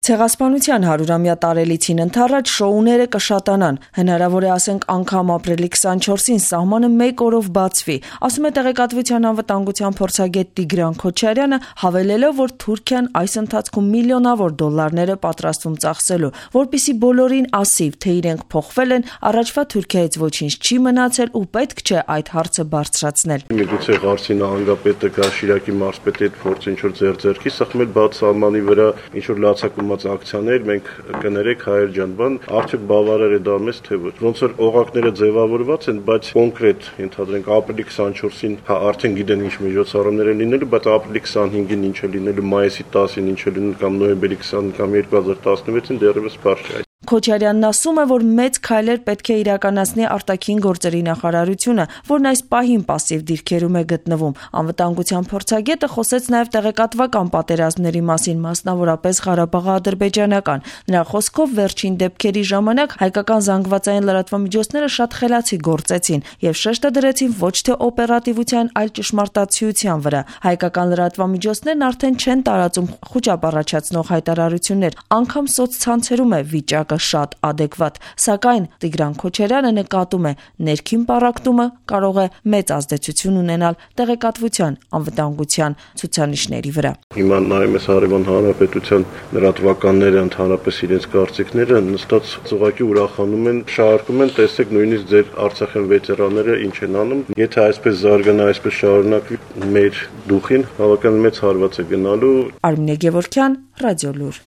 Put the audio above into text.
Ցեղասպանության 100-ամյա տարելիցին ընդառաջ շոուները կշատանան, հնարավոր է ասենք անգամ ապրիլի 24-ին սահմանը 1 օրով բացվի, ասում է Տեղեկատվության անվտանգության փորձագետ Տիգրան Քոչարյանը, հավելելով, որ Թուրքիան այս ընթացքում միլիոնավոր դոլարներ է պատրաստվում ծախսելու, որպեսզի բոլորին ասի, թե իրենք փոխվել են, առաջվա Թուրքիայից ոչինչ չի մնացել ու պետք չէ այդ հարցը բարձրացնել։ Միգուցե Ղարսի նահանգապետը գա Շիրակի մարզպետի հետ փորձի ինչ-որ ձեռքի սխմել բաց սահմանի վրա ինչ-որ լացակումած ակցիաներ, մենք կներեք Հայեր ջան, բան, արդյոք բավարար է դա մեզ թե ոչ։ Ոնց որ օղակները ձևավորված են, բայց կոնկրետ ընդհանրենք ապրիլի 24-ին արդեն գիտեն ինչ միջոցառումներ են լինելու, բայց ապրիլի 25-ին ինչ է լինելու, մայիսի 10-ին ինչ է լինելու կամ նոյեմբերի 20-ին կամ 2016-ին դեռևս բարձր չէ։ Քոչարյանն ասում է, որ մեծ քայլեր պետք է իրականացնի արտաքին գործերի նախարարությունը, որն այս պահին պասիվ դիրքերում է գտնվում։ Անվտանգության փորձագետը խոսեց նաև տեղեկատվական պատերազմների մասին, մասնավորապես Ղարաբաղի-ադրբեջանական։ Նրա խոսքով վերջին դեպքերի ժամանակ հայկական զանգվածային լրատվամիջոցները շատ խելացի գործեցին եւ շեշտը դրեցին ոչ թե օպերատիվության, այլ ճշմարտացիության վրա։ Հայկական լրատվամիջոցներն արդեն չեն տարածում խոճապ առաջացնող հայտարարություններ, անգամ սոցցանցերում է վիճակը շատ ադեկվատ, սակայն Տիգրան Քոչարյանը նկատում է, ներքին պառակտումը կարող է մեծ ազդեցություն ունենալ տեղեկատվության անվտանգության ցուցանիշների վրա։ Հիմա նայում ես Հարևան Հանրապետության լրատվականները ընդհանրապես իրենց կարծիքները նստած ուղղակի ուրախանում են, շարքում են, տեսեք նույնիսկ ձեր Արցախյան վետերանները ինչ են անում, եթե այսպես զարգանա, այսպես շարունակվի, մեր դուխին բավական մեծ հարված է գնալու։ Արմինե Գևորգյան, Ռադիոլուր։